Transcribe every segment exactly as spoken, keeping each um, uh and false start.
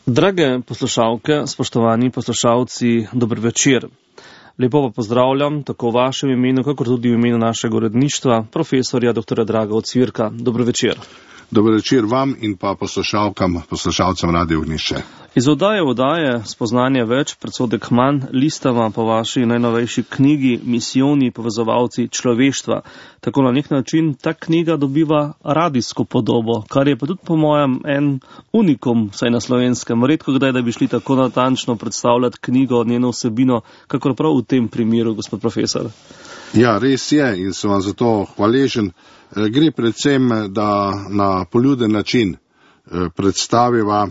Drage poslušalke, spoštovani poslušalci, dober večer. Lepo pa pozdravljam tako v vašem imenu, kakor tudi v imenu našega uredništva, profesorja doktorja Draga Ocvirka. Dober večer. Dober večer vam in pa poslušalkam, poslušalcem Radio Ognjišče. Iz oddaje v oddaje spoznanje več, predsodek manj, listava po vaši najnovejši knjigi Misijoni povezovalci človeštva. Tako na nek način ta knjiga dobiva radijsko podobo, kar je pa tudi po mojem en unikum, saj na slovenskem. Redko kdaj, da bi šli tako natančno predstavljati knjigo, njeno vsebino, kakor prav v tem primeru, gospod profesor. Ja, res je in sem vam zato hvaležen. Gre predvsem, da na poljuden način predstaviva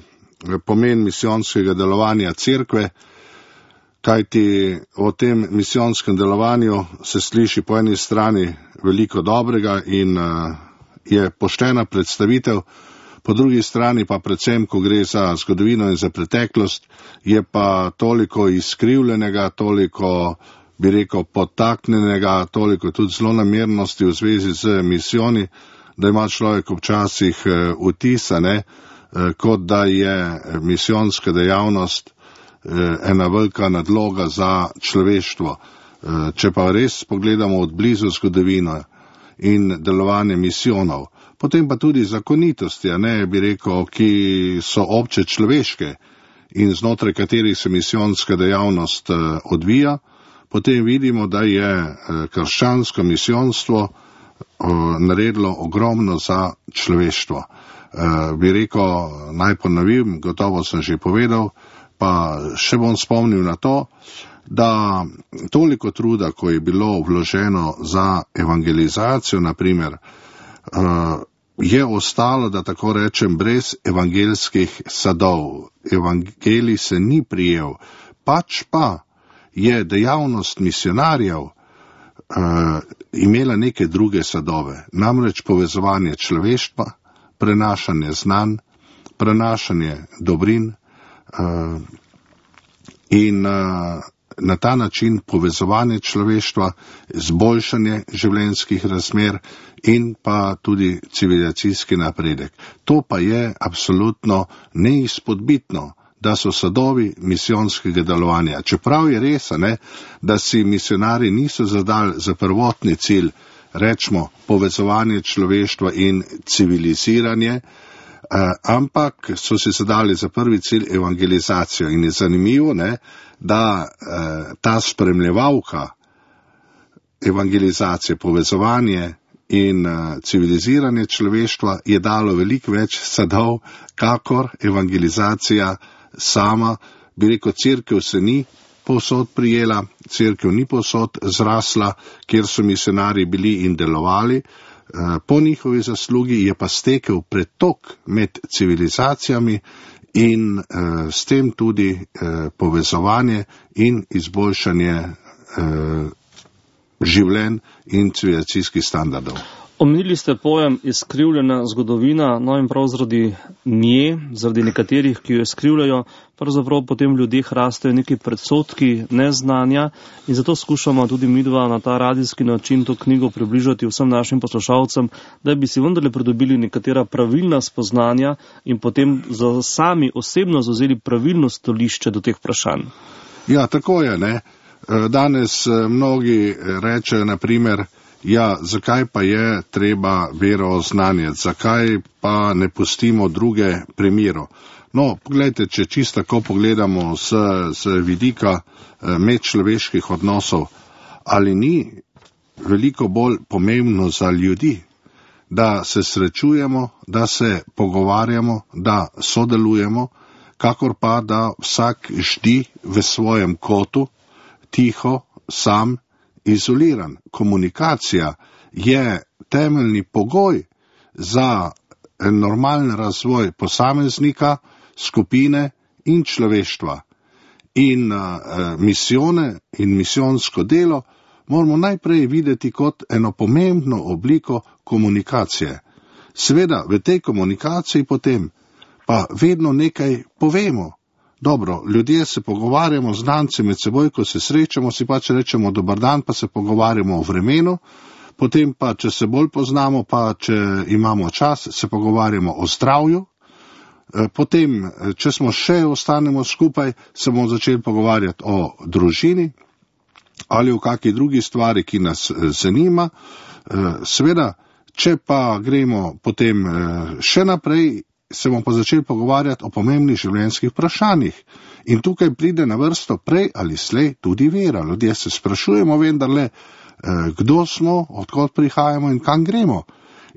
pomen misijonskega delovanja cerkve, kajti o tem misijonskem delovanju se sliši po eni strani veliko dobrega in je poštena predstavitev, po drugi strani pa predvsem, ko gre za zgodovino in za preteklost, je pa toliko izkrivljenega, toliko bi rekel, podtaknjenega, toliko tudi zlonamernosti v zvezi z misijoni, da ima človek občasih vtisa, ne, kot da je misijonska dejavnost ena velika nadloga za človeštvo. Če pa res pogledamo od blizu zgodovino in delovanje misijonov, potem pa tudi zakonitosti, ne, bi rekel, ki so obče človeške in znotraj katerih se misijonska dejavnost odvija, potem vidimo, da je krščansko misijonstvo naredilo ogromno za človeštvo. Bi rekel, naj ponovim, gotovo sem že povedal, pa še bom spomnil na to, da toliko truda, ko je bilo vloženo za evangelizacijo, naprimer, je ostalo, da tako rečem, brez evangelskih sadov. Evangelij se ni prijel, pač pa je dejavnost misionarjev uh, imela neke druge sadove, namreč povezovanje človeštva, prenašanje znanj, prenašanje dobrin uh, in uh, na ta način povezovanje človeštva, izboljšanje življenjskih razmer in pa tudi civilizacijski napredek. To pa je absolutno neizpodbitno, da so sadovi misijonskega delovanja. Čeprav je res, ne, da si misionari niso zadali za prvotni cilj, rečemo, povezovanje človeštva in civiliziranje, eh, ampak so si zadali za prvi cilj evangelizacijo. In je zanimivo, ne, da eh, ta spremljevalka evangelizacije, povezovanje in uh, civiliziranje človeštva je dalo veliko več sadov, kakor evangelizacija sama. Bi rekel, cerkev se ni povsod prijela, cerkev ni povsod zrasla, kjer so misionarji bili in delovali. Uh, po njihovi zaslugi je pa stekel pretok med civilizacijami in uh, s tem tudi uh, povezovanje in izboljšanje uh, življenj in civilizacijskih standardov. Omenili ste pojem izkrivljena zgodovina, no in prav zaradi nje, zaradi nekaterih, ki jo izkrivljajo, pravzaprav potem v ljudeh rastejo neki predsodki, neznanja in zato skušamo tudi midva na ta radijski način to knjigo približati vsem našim poslušalcem, da bi si vendarle pridobili nekatera pravilna spoznanja in potem za sami osebno zavzeli pravilno stališče do teh vprašanj. Ja, tako je, ne. Danes mnogi rečejo, na primer, ja, zakaj pa je treba vero oznanjati, zakaj pa ne pustimo druge primerov. No, pogledajte, če čisto tako pogledamo z, z vidika medčloveških odnosov, ali ni veliko bolj pomembno za ljudi, da se srečujemo, da se pogovarjamo, da sodelujemo, kakor pa da vsak ždi v svojem kotu, tiho, sam, izoliran. Komunikacija je temeljni pogoj za normalen razvoj posameznika, skupine in človeštva. In uh, misijone in misijonsko delo moramo najprej videti kot eno pomembno obliko komunikacije. Seveda, v tej komunikaciji potem pa vedno nekaj povemo. Dobro, ljudje se pogovarjamo, znanci med seboj, ko se srečamo, si pač rečemo dober dan, pa se pogovarjamo o vremenu, potem pa, če se bolj poznamo, pa če imamo čas, se pogovarjamo o zdravju, Potem, če smo še ostanemo skupaj, se bomo začeli pogovarjati o družini ali o kakšni drugi stvari, ki nas zanima. Seveda, če pa gremo potem še naprej, se bomo pa začeli pogovarjati o pomembnih življenjskih vprašanjih. In tukaj pride na vrsto prej ali slej tudi vera. Ljudje se sprašujemo vendarle, kdo smo, odkot prihajamo in kam gremo.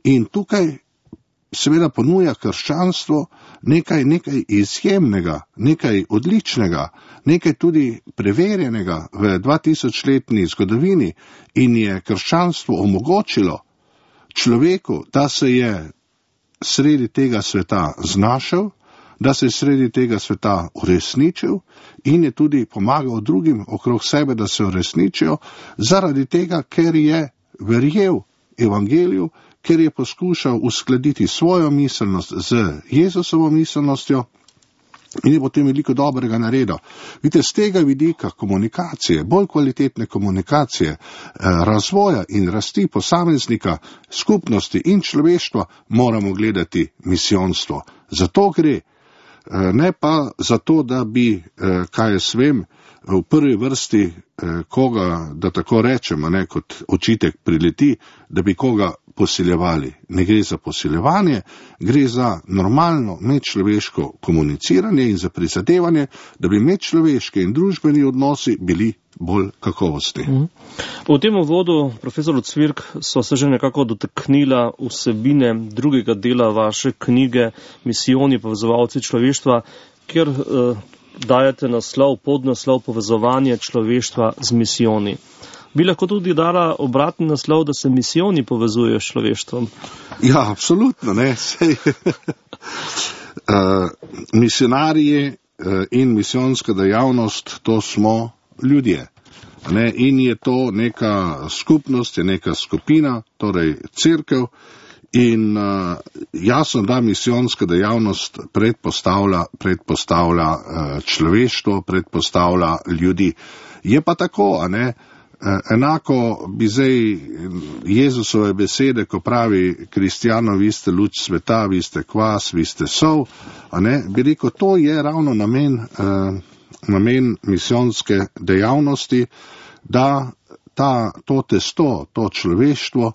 In tukaj seveda ponuja krščanstvo nekaj, nekaj izjemnega, nekaj odličnega, nekaj tudi preverjenega v dvatisočletni zgodovini in je krščanstvo omogočilo človeku, da se je sredi tega sveta znašel, da se je sredi tega sveta uresničil in je tudi pomagal drugim okrog sebe, da se uresničijo, zaradi tega, ker je verjel evangeliju, ker je poskušal uskladiti svojo miselnost z Jezusovo miselnostjo in je potem veliko dobrega naredil. Vidite, z tega vidika komunikacije, bolj kvalitetne komunikacije, razvoja in rasti posameznika, skupnosti in človeštva moramo gledati misijonstvo. Zato gre, ne pa zato, da bi, kaj jaz vem, v prvi vrsti koga, da tako rečemo, ne, kot očitek prileti, da bi koga posiljevali. Ne gre za posiljevanje, gre za normalno medčloveško komuniciranje in za prizadevanje, da bi medčloveški in družbeni odnosi bili bolj kakovostni. Mm. V tem uvodu, profesor Cvirk, so se že nekako dotaknila vsebine drugega dela vaše knjige Misijoni, povezovalci človeštva, kjer eh, dajete naslov, podnaslov Povezovanje človeštva z misijoni. Bi lahko tudi dala obratni naslov, da se misijoni povezujejo s človeštvom? Ja, absolutno, ne. Sej, uh, misionarji uh, in misijonska dejavnost, to smo ljudje. Ne? In je to neka skupnost, je neka skupina, torej cerkev. In uh, jasno, da misijonska dejavnost predpostavlja, predpostavlja uh, človeštvo, predpostavlja ljudi. Je pa tako, a ne? Enako bi zdaj Jezusove besede, ko pravi kristjanov, vi ste luč sveta, vi ste kvas, vi ste sol, a ne, bi rekel, to je ravno namen, eh, namen misijonske dejavnosti, da ta, to testo, to človeštvo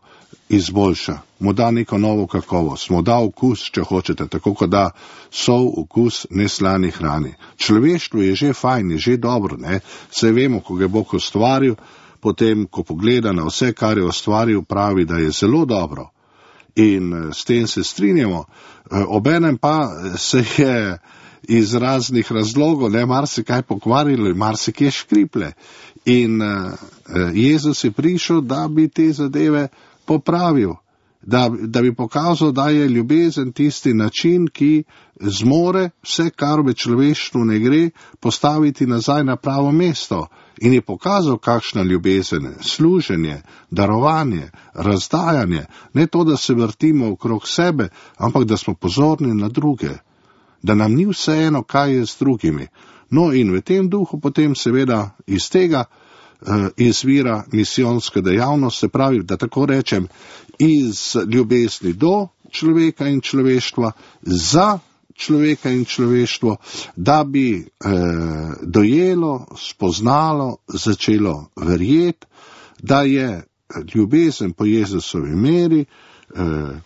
izboljša, mu da neko novo kakovost, mu da okus, če hočete, tako kot da sol okus neslani hrani. Človeštvo je že fajn, je že dobro, ne, saj vemo, ko ga je Bog ustvaril, potem, ko pogleda na vse, kar je ustvaril, pravi, da je zelo dobro. In s tem se strinjamo. Obenem pa se je iz raznih razlogov, ne, marsikaj pokvarilo in marsikaj škriple. In Jezus je prišel, da bi te zadeve popravil, da, da bi pokazal, da je ljubezen tisti način, ki zmore vse, kar v človeštvu ne gre, postaviti nazaj na pravo mesto. In je pokazal, kakšna ljubezen, služenje, darovanje, razdajanje, ne to, da se vrtimo okrog sebe, ampak da smo pozorni na druge, da nam ni vseeno, kaj je z drugimi. No in v tem duhu potem seveda iz tega uh, izvira misijonska dejavnost, se pravi, da tako rečem, iz ljubezni do človeka in človeštva, za človeka in človeštvo, da bi eh, dojelo, spoznalo, začelo verjeti, da je ljubezen po Jezusovi meri eh,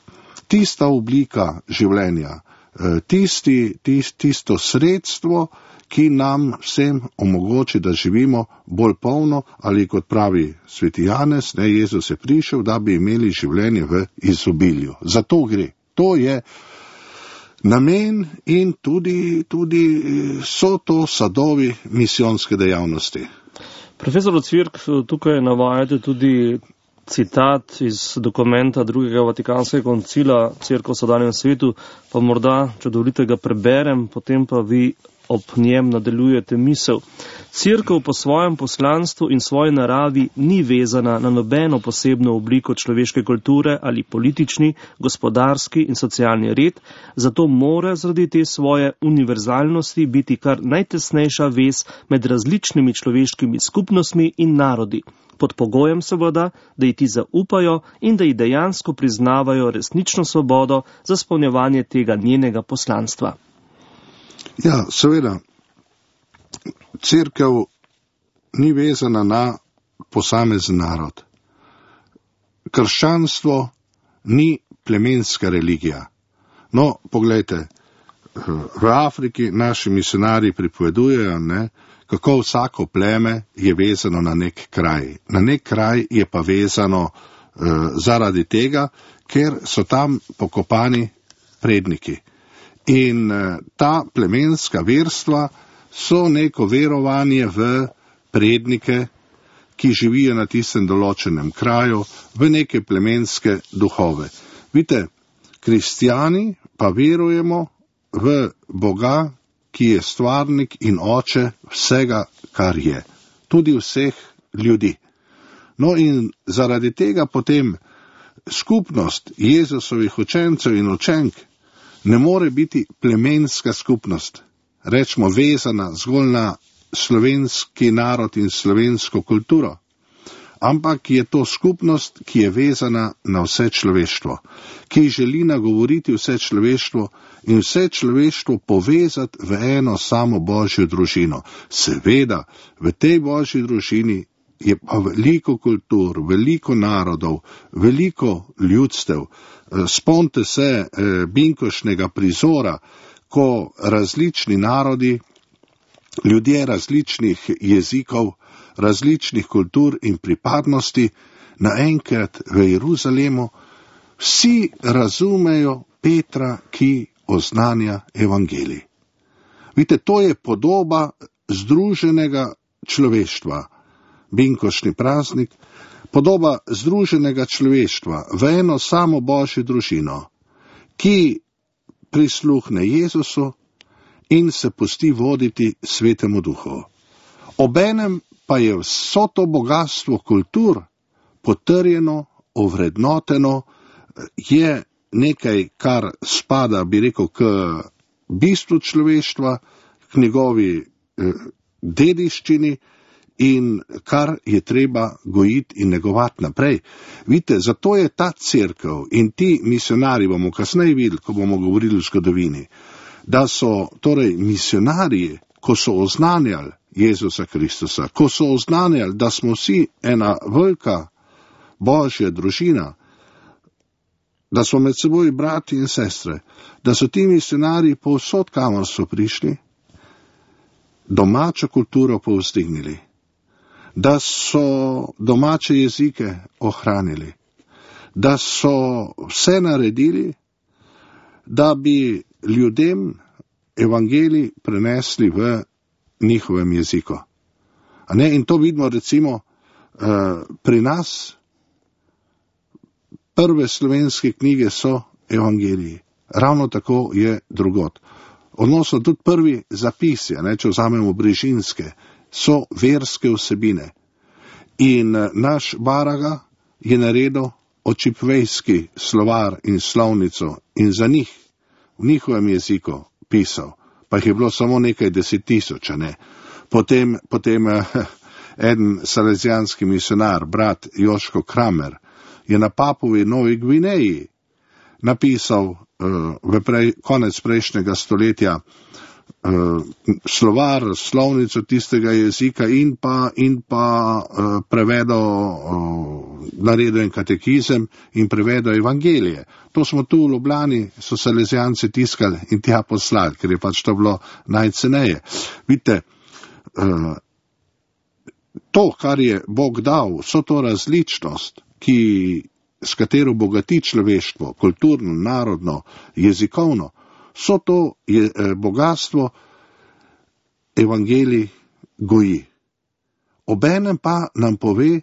tista oblika življenja, eh, tisti, tist, tisto sredstvo, ki nam vsem omogoči, da živimo bolj polno, ali kot pravi sveti Janez, ne, Jezus je prišel, da bi imeli življenje v izobilju. Zato gre. To je namen in tudi, tudi so to sadovi misijonske dejavnosti. Profesor Cvirk, tukaj navajate tudi citat iz dokumenta drugega Vatikanskega koncila Cerkev v sedanjem svetu, pa morda, če dovolite, ga preberem, potem pa vi ob njem nadaljujete misel. Cerkev po svojem poslanstvu in svoji naravi ni vezana na nobeno posebno obliko človeške kulture ali politični, gospodarski in socialni red, zato mora zaradi te svoje univerzalnosti biti kar najtesnejša vez med različnimi človeškimi skupnostmi in narodi, pod pogojem seveda, da ji ti zaupajo in da ji dejansko priznavajo resnično svobodo za izpolnjevanje tega njenega poslanstva. Ja, seveda, cerkev ni vezana na posamezen narod. Krščanstvo ni plemenska religija. No, poglejte, v Afriki naši misionarji pripovedujejo, ne, kako vsako pleme je vezano na nek kraj. Na nek kraj je pa vezano eh, zaradi tega, ker so tam pokopani predniki. In eh, ta plemenska verstva so neko verovanje v prednike, ki živijo na tistem določenem kraju, v neke plemenske duhove. Vidite, kristijani pa verujemo v Boga, ki je stvarnik in oče vsega, kar je, tudi vseh ljudi. No in zaradi tega potem skupnost Jezusovih učencev in učenk ne more biti plemenska skupnost, rečemo vezana zgolj na slovenski narod in slovensko kulturo, ampak je to skupnost, ki je vezana na vse človeštvo, ki želi nagovoriti vse človeštvo in vse človeštvo povezati v eno samo Božjo družino. Seveda, v tej Božji družini je pa veliko kultur, veliko narodov, veliko ljudstev. Spomnite se eh, binkošnjega prizora, ko različni narodi, ljudje različnih jezikov, različnih kultur in pripadnosti naenkrat v Jeruzalemu vsi razumejo Petra, ki oznanja evangelij. Vidite, to je podoba združenega človeštva, binkošni praznik, podoba združenega človeštva v eno samo Božjo družino, ki prisluhne Jezusu in se pusti voditi Svetemu Duhu. Obenem pa je vso to bogatstvo kultur potrjeno, ovrednoteno, je nekaj, kar spada, bi rekel, k bistvu človeštva, k njegovi eh, dediščini in kar je treba gojiti in negovati naprej. Vidite, zato je ta cerkev in ti misionari, bomo kasneje videli, ko bomo govorili o zgodovini, da so torej misionarji, ko so oznanjali Jezusa Kristusa, ko so oznanjali, da smo vsi ena velika Božja družina, da smo med seboj brati in sestre, da so ti misionarji povsod, kamor so prišli, domačo kulturo povzdignili, da so domače jezike ohranili, da so vse naredili, da bi ljudem evangelij prenesli v njihovem jeziku. A ne? In to vidimo recimo uh, pri nas. Prve slovenske knjige so evangeliji. Ravno tako je drugod. Odnosno tudi prvi zapisi, ne, če vzamemo brežinske, so verske vsebine. In uh, naš Baraga je naredil očipvejski slovar in slovnico in za njih, v njihovem jeziku pisal. Pa jih je bilo samo nekaj deset tisoč, ne. Potem, potem eh, eden salezijanski misionar, brat Joško Kramer, je na Papuvi Novi Gvineji napisal eh, v prej, konec prejšnjega stoletja eh, slovar, slovnico tistega jezika in pa, in pa eh, prevedel, eh, naredil en katekizem in prevedel evangelije. To smo tu v Ljubljani, so salezijanci tiskali in tja poslali, ker je pač to bilo najceneje. Vidite, eh, to, kar je Bog dal, so to različnost, ki, s katero bogati človeštvo, kulturno, narodno, jezikovno, so to je, eh, bogatstvo evangelij goji. Obenem pa nam pove,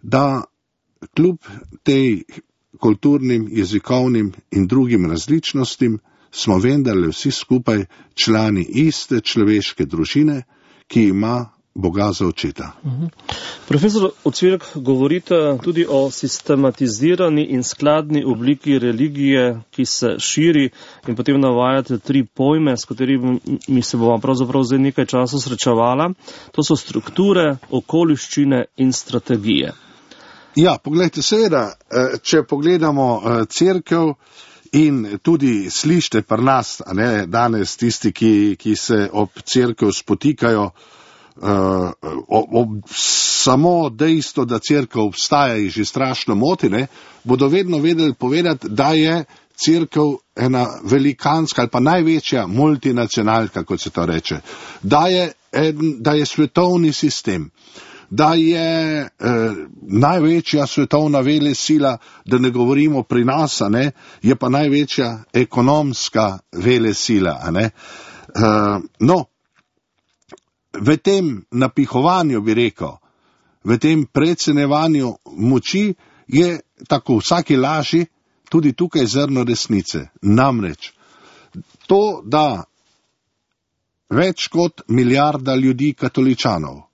da kljub tej kulturnim, jezikovnim in drugim različnostim smo vendarle vsi skupaj člani iste človeške družine, ki ima Boga za očeta. Uh-huh. Profesor Ocvirk, govorite tudi o sistematizirani in skladni obliki religije, ki se širi, in potem navajate tri pojme, s katerimi se bomo pravzaprav zdaj nekaj časa srečevala. To so strukture, okoliščine in strategije. Ja, pogledajte, seveda, če pogledamo cerkev, In tudi slište pri nas, a ne, danes tisti, ki, ki se ob cerkev spotikajo, uh, ob, ob samo dejstvo, da cerkev obstaja, jih že strašno moti, ne, bodo vedno vedeli povedati, da je cerkev ena velikanska ali pa največja multinacionalka, kot se to reče, da je, en, da je svetovni sistem, da je eh, največja svetovna velesila, da ne govorimo pri nas, a ne, je pa največja ekonomska velesila. A ne. Eh, no, v tem napihovanju, bi rekel, v tem precenevanju moči je tako vsaki laži tudi tukaj zrno resnice. Namreč to, da več kot milijarda ljudi katoličanov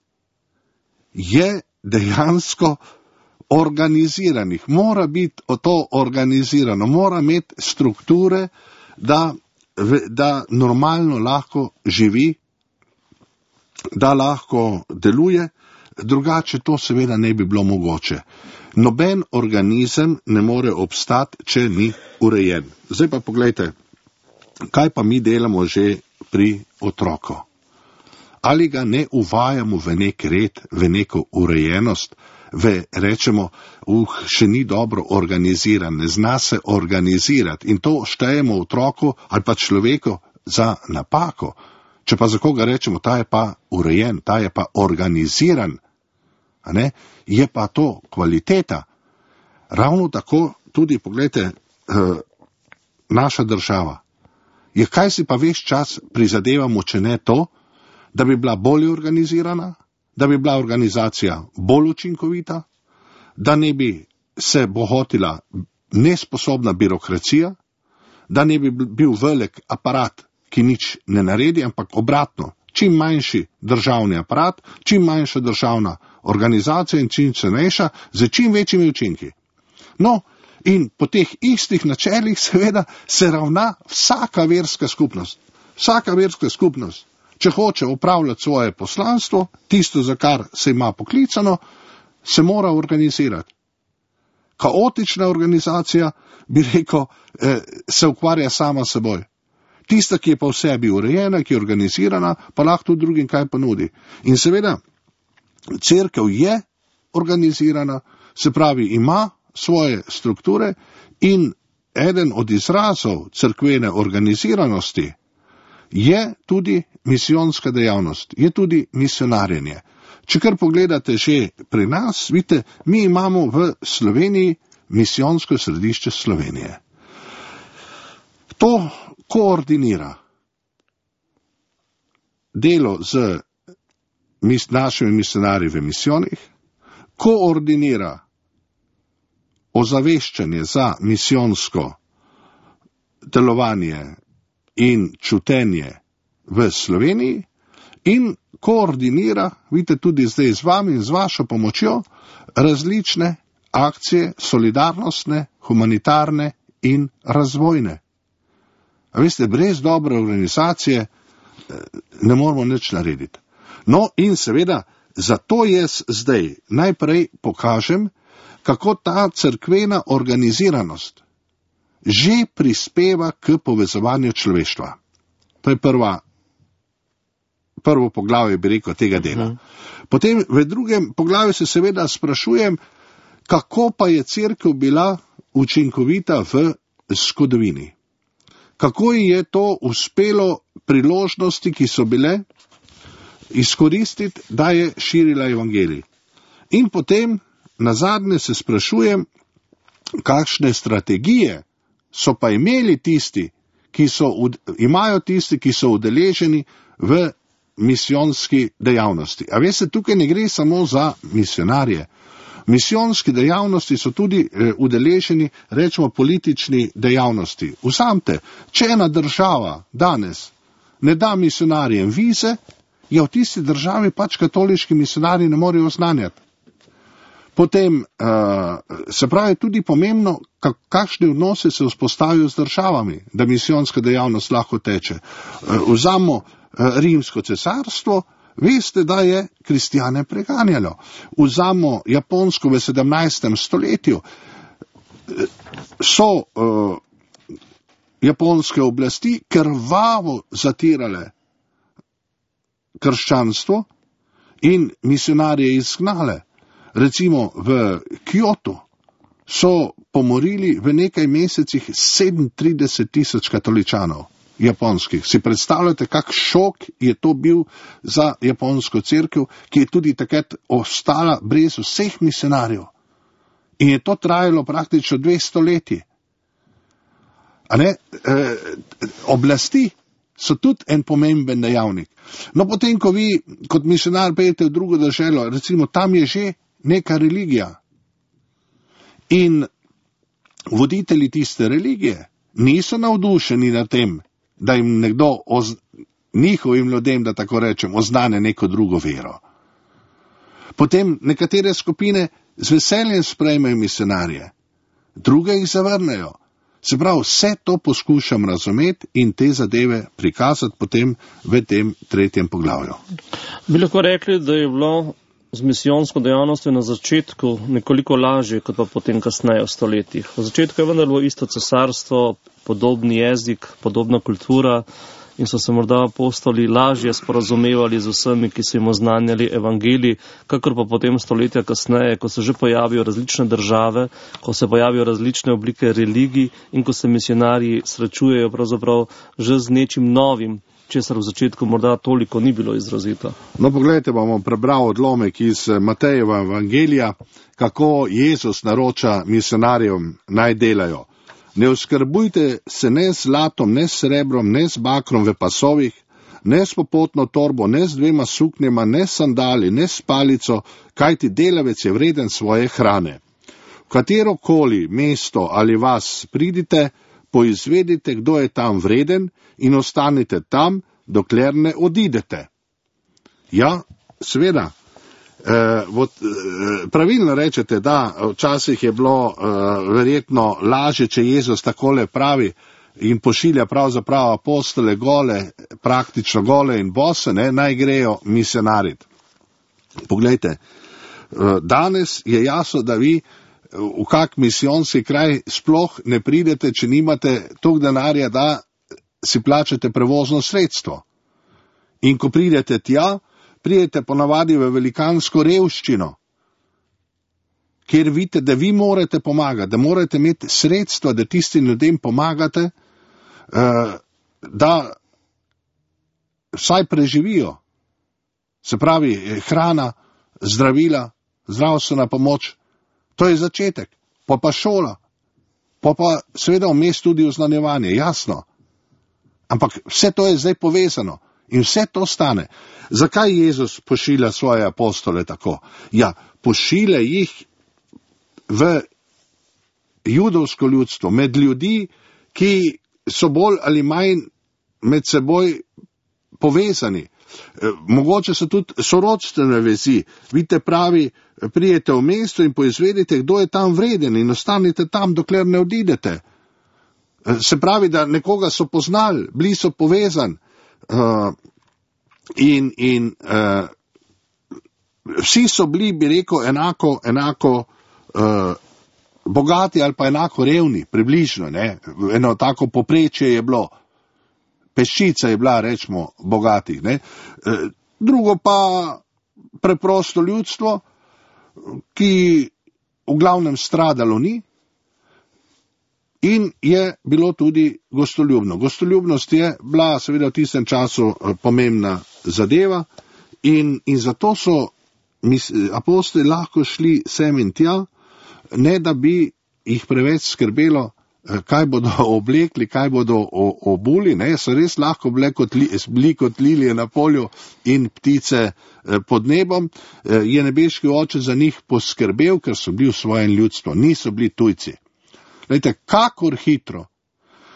je dejansko organiziranih, mora biti to organizirano, mora imeti strukture, da, da normalno lahko živi, da lahko deluje, drugače to seveda ne bi bilo mogoče. Noben organizem ne more obstati, če ni urejen. Zdaj pa pogledajte, kaj pa mi delamo že pri otroku. Ali ga ne uvajamo v nek red, v neko urejenost, v, rečemo, uh, še ni dobro organiziran, ne zna se organizirati in to štejemo otroku ali pa človeku za napako. Če pa za koga rečemo, ta je pa urejen, ta je pa organiziran, a ne, je pa to kvaliteta. Ravno tako tudi, pogledajte, uh, naša država. Je, kaj si pa ves čas prizadevamo, če ne to, da bi bila bolje organizirana, da bi bila organizacija bolj učinkovita, da ne bi se bohotila nesposobna birokracija, da ne bi bil velik aparat, ki nič ne naredi, ampak obratno, čim manjši državni aparat, čim manjša državna organizacija in čim cenejša, z čim večjimi učinki. No, in po teh istih načelih seveda se ravna vsaka verska skupnost. Vsaka verska skupnost, če hoče upravljati svoje poslanstvo, tisto, za kar se ima poklicano, se mora organizirati. Kaotična organizacija, bi rekel, eh, se ukvarja sama seboj. Tista, ki je pa v sebi urejena, ki je organizirana, pa lahko tudi drugim kaj ponudi. In seveda, cerkev je organizirana, se pravi, ima svoje strukture in eden od izrazov cerkvene organiziranosti je tudi misijonska dejavnost, je tudi misionarjenje. Če kar pogledate že pri nas, vidite, mi imamo v Sloveniji misijonsko središče Slovenije. To koordinira delo z mis, našimi misionarji v misijonih, koordinira ozaveščanje za misijonsko delovanje in čutenje v Sloveniji in koordinira, vidite, tudi zdaj z vami in z vašo pomočjo, različne akcije, solidarnostne, humanitarne in razvojne. A veste, brez dobre organizacije ne moramo nič narediti. No in seveda, zato jaz zdaj najprej pokažem, kako ta cerkvena organiziranost že prispeva k povezovanju človeštva. To je prva, prvo poglavje, bi rekel, tega dela. Potem v drugem poglavju se seveda sprašujem, kako pa je cerkev bila učinkovita v zgodovini. Kako je to uspelo priložnosti, ki so bile, izkoristiti, da je širila evangelij. In potem nazadnje se sprašujem, kakšne strategije so pa imeli tisti, ki so, imajo tisti, ki so udeleženi v misijonski dejavnosti. A veste, tukaj ne gre samo za misionarje. Misijonski dejavnosti so tudi eh, udeleženi, rečemo, politični dejavnosti. Vzamte, če ena država danes ne da misionarjem vize, je v tisti državi pač katoliški misionarji ne morejo oznanjati. Potem uh, se pravi tudi pomembno, kakšne odnose se vzpostavijo z državami, da misijonska dejavnost lahko teče. Uh, vzamo uh, Rimsko cesarstvo, veste, da je kristjane preganjalo. Vzamo Japonsko v sedemnajstem stoletju, so uh, japonske oblasti krvavo zatirale krščanstvo in misionarje izgnale. Recimo v Kyoto so pomorili v nekaj mesecih sedemintrideset tisoč katoličanov japonskih. Si predstavljate, kak šok je to bil za japonsko cerkev, ki je tudi takrat ostala brez vseh misionarjev. In je to trajalo praktično dve stoletji. A ne, e, oblasti so tudi en pomemben dejavnik. No, potem, ko vi kot misionar pejete v drugo državo, recimo tam je že neka religija. In voditelji tiste religije niso navdušeni na tem, da jim nekdo, oz, njihovim ljudem, da tako rečem, oznane neko drugo vero. Potem nekatere skupine z veseljem sprejmejo misionarje, druge jih zavrnejo. Se pravi, vse to poskušam razumeti in te zadeve prikazati potem v tem tretjem poglavju. Bi lahko rekli, da je bilo z misijonsko dejavnostjo na začetku nekoliko lažje, kot pa potem kasneje v stoletjih. V začetku je vendar bilo isto cesarstvo, podobni jezik, podobna kultura in so se morda apostoli lažje sporazumevali z vsemi, ki so jim oznanjali evangelij, kakor pa potem stoletja kasneje, ko se že pojavijo različne države, ko se pojavijo različne oblike religij in ko se misionarji srečujejo pravzaprav že z nečim novim, česar v začetku morda toliko ni bilo izrazito. No, pogledajte, bomo prebral odlomek iz Matejeva evangelija, kako Jezus naroča misionarjem naj delajo. Ne oskrbujte se ne z zlatom, ne s srebrom, ne z bakrom v pasovih, ne s popotno torbo, ne z dvema suknjama, ne s sandali, ne s palico, kajti delavec je vreden svoje hrane. V katerokoli mesto ali vas pridite, poizvedite, kdo je tam vreden in ostanite tam, dokler ne odidete. Ja, seveda. Eh, vod, eh, pravilno rečete, da včasih je bilo eh, verjetno lažje, če Jezus takole pravi in pošilja pravzaprav apostole gole, praktično gole in bose, ne, naj grejo misionarit. Poglejte, eh, danes je jasno, da vi v kak misijonski kraj sploh ne pridete, če nimate toliko denarja, da si plačate prevozno sredstvo. In ko pridete tja, pridete ponavadi v velikansko revščino, kjer vidite, da vi morate pomagati, da morate imeti sredstva, da tistim ljudem pomagate, da vsaj preživijo. Se pravi, hrana, zdravila, zdravstvena pomoč, to je začetek, pa pa šola, pa pa seveda vmes tudi oznanjevanje, jasno. Ampak vse to je zdaj povezano in vse to stane. Zakaj Jezus pošilja svoje apostole tako? Ja, pošilja jih v judovsko ljudstvo, med ljudi, ki so bolj ali manj med seboj povezani. Mogoče so tudi sorodstvene vezi. Vidite, pravi, prijete v mesto in poizvedite, kdo je tam vreden in ostanite tam, dokler ne odidete. Se pravi, da nekoga so poznali, bili so povezani uh, in, in uh, vsi so bili, bi rekel, enako, enako uh, bogati ali pa enako revni, približno, ne? Eno tako poprečje je bilo. Peščica je bila, rečemo, bogatih. Ne? Drugo pa preprosto ljudstvo, ki v glavnem stradalo ni in je bilo tudi gostoljubno. Gostoljubnost je bila seveda v tistem času pomembna zadeva in, in zato so apostoli lahko šli sem in tja, ne da bi jih preveč skrbelo, kaj bodo oblekli, kaj bodo obuli, ne, so res lahko bile kot, li, bili kot lilije na polju in ptice pod nebom, je nebeški oče za njih poskrbel, ker so bili v svojem ljudstvu, niso bili tujci. Lejte, kakor hitro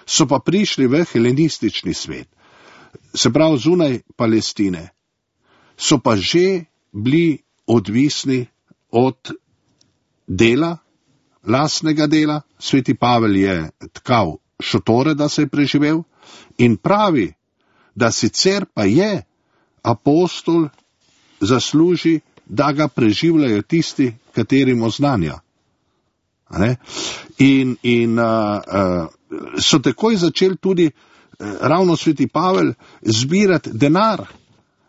so pa prišli v helenistični svet, se pravi zunaj Palestine, so pa že bili odvisni od dela, lastnega dela. Sveti Pavel je tkal šotore, da se je preživel in pravi, da sicer pa je apostol zasluži, da ga preživljajo tisti, katerim oznanja. In, in uh, uh, so takoj začeli tudi eh, ravno sveti Pavel zbirati denar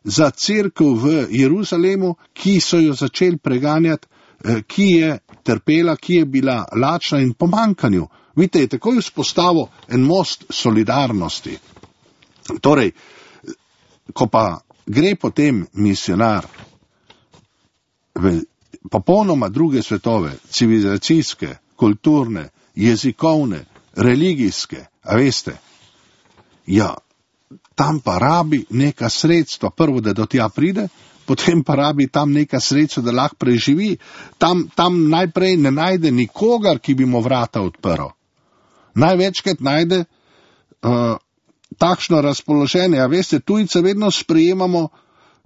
za cerkev v Jeruzalemu, ki so jo začeli preganjati, eh, ki je trpela, ki je bila lačna in pomankanju. Vidite, je takoj vzpostavil en most solidarnosti. Torej, ko pa gre potem misionar v popolnoma druge svetove, civilizacijske, kulturne, jezikovne, religijske, a veste, ja, tam pa rabi neka sredstva, prvo, da do tja pride, potem pa rabi tam neka sredstva, da lahko preživi. Tam, tam najprej ne najde nikogar, ki bi mu vrata odprl. Največkrat najde uh, takšno razpoloženje, a veste, tujce vedno sprejemamo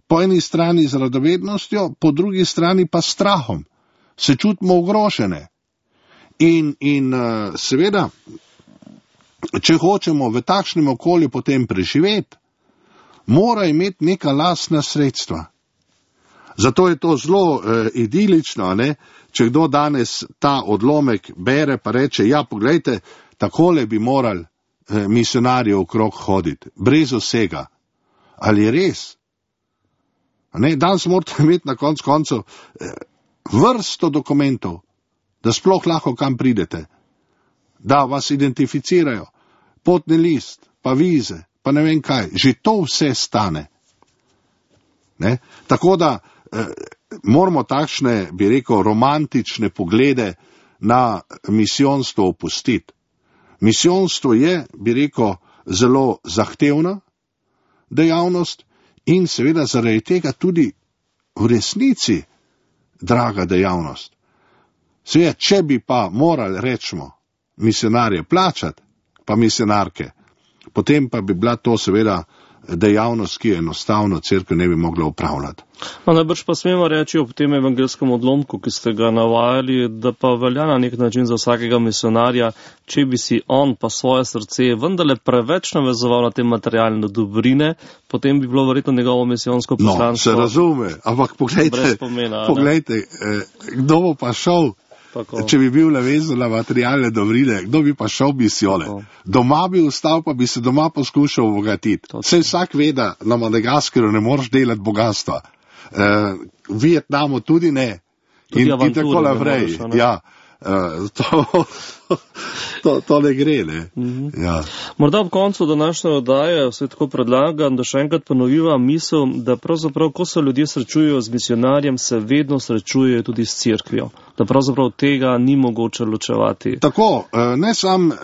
po eni strani z radovednostjo, po drugi strani pa strahom. Se čutimo ogrožene. In, in uh, seveda, če hočemo v takšnem okolju potem preživeti, mora imeti neka lastna sredstva. Zato je to zelo eh, idilično, ne? Če kdo danes ta odlomek bere pa reče, ja, poglejte, takole bi morali eh, misionarje okrog hoditi, brez vsega. Ali je res? Ne? Danes morate imeti na koncu koncev eh, vrsto dokumentov, da sploh lahko kam pridete, da vas identificirajo, potni list, pa vize, pa ne vem kaj, že to vse stane. Ne? Tako da eh, moramo takšne, bi rekel, romantične poglede na misijonstvo opustiti. Misijonstvo je, bi rekel, zelo zahtevna dejavnost in seveda zaradi tega tudi v resnici draga dejavnost. Seveda, če bi pa morali, rečemo, misionarje plačati, pa misionarke, potem pa bi bila to seveda dejavnost, ki je enostavno cerkev ne bi mogla upravljati. No, najbrž pa smemo reči ob tem evangelskem odlomku, ki ste ga navajali, da pa velja na nek način za vsakega misionarja, če bi si on pa svoje srce vendarle preveč navezoval na te materialne dobrine, potem bi bilo verjetno njegovo misijonsko poslanstvo. No, se razume, ampak poglejte, pomena, poglejte eh, kdo bo pa šel, tako. Če bi bil navezan na materialne dobrine, kdo bi pa šel misijone? Doma bi ustal, pa bi se doma poskušal obogatiti. Saj vsak ve, da na Madagaskarju ne moreš delati bogatstva. Uh, v Vietnamu tudi ne. Tudi in, in tako naprej. Ja, uh, to, to, to ne gre, ne. Mm-hmm. Ja. Morda ob koncu današnje oddaje vse tako predlagam, da še enkrat ponoviva misel, da pravzaprav, ko se ljudje srečujejo z misionarjem, se vedno srečujejo tudi s cerkvijo. Da pravzaprav tega ni mogoče ločevati. Tako, ne sam uh,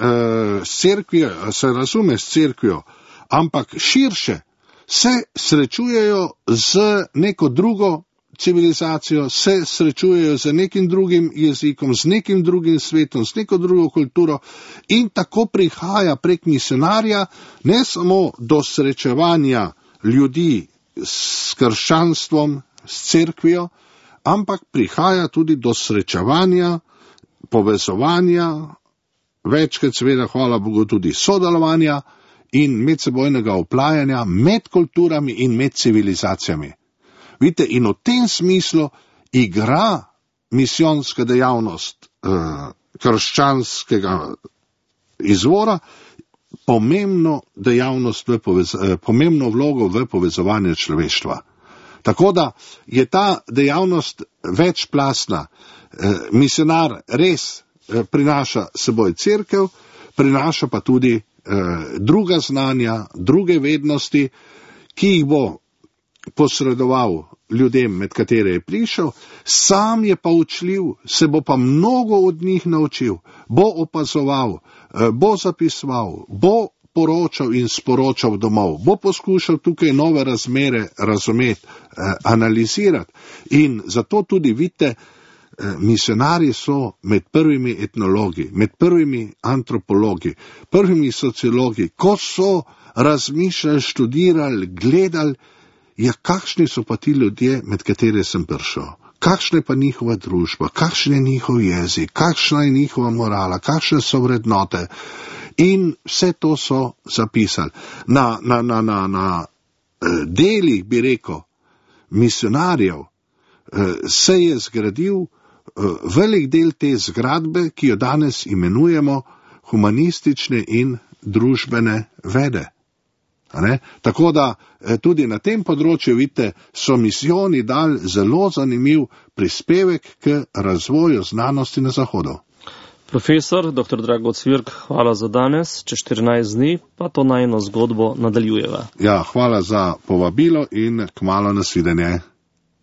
s cerkvijo, se razume s cerkvijo, ampak širše se srečujejo z neko drugo civilizacijo, se srečujejo z nekim drugim jezikom, z nekim drugim svetom, z neko drugo kulturo in tako prihaja prek misionarja ne samo do srečevanja ljudi s krščanstvom, s cerkvijo, ampak prihaja tudi do srečevanja, povezovanja, večkrat seveda, hvala Bogu, tudi sodelovanja in medsebojnega oplajanja med kulturami in med civilizacijami. Vidite, in v tem smislu igra misijonska dejavnost eh, krščanskega izvora pomembno, dejavnost v povez, eh, pomembno vlogo v povezovanju človeštva. Tako da je ta dejavnost večplastna. Eh, misionar res eh, prinaša seboj cerkev, prinaša pa tudi eh, druga znanja, druge vednosti, ki jih bo posredoval ljudem, med katere je prišel, sam je pa učljiv, se bo pa mnogo od njih naučil, bo opazoval, bo zapisoval, bo poročal in sporočal domov, bo poskušal tukaj nove razmere razumeti, analizirati. In zato tudi vidite, misionarji so med prvimi etnologi, med prvimi antropologi, prvimi sociologi, ko so razmišljali, študirali, gledali, ja, kakšni so pa ti ljudje, med katere sem prišel? Kakšna je pa njihova družba? Kakšen je njihov jezik? Kakšna je njihova morala? Kakšne so vrednote? In vse to so zapisali. Na, na, na, na, na delih, bi rekel, misionarjev se je zgradil velik del te zgradbe, ki jo danes imenujemo humanistične in družbene vede. Ne? Tako da tudi na tem področju, vidite, so misijoni dali zelo zanimiv prispevek k razvoju znanosti na Zahodu. Profesor doktor Drago Cvirk, hvala za danes, čez štirinajst dni pa to najino zgodbo nadaljujeva. Ja, hvala za povabilo in kmalu nasvidenje.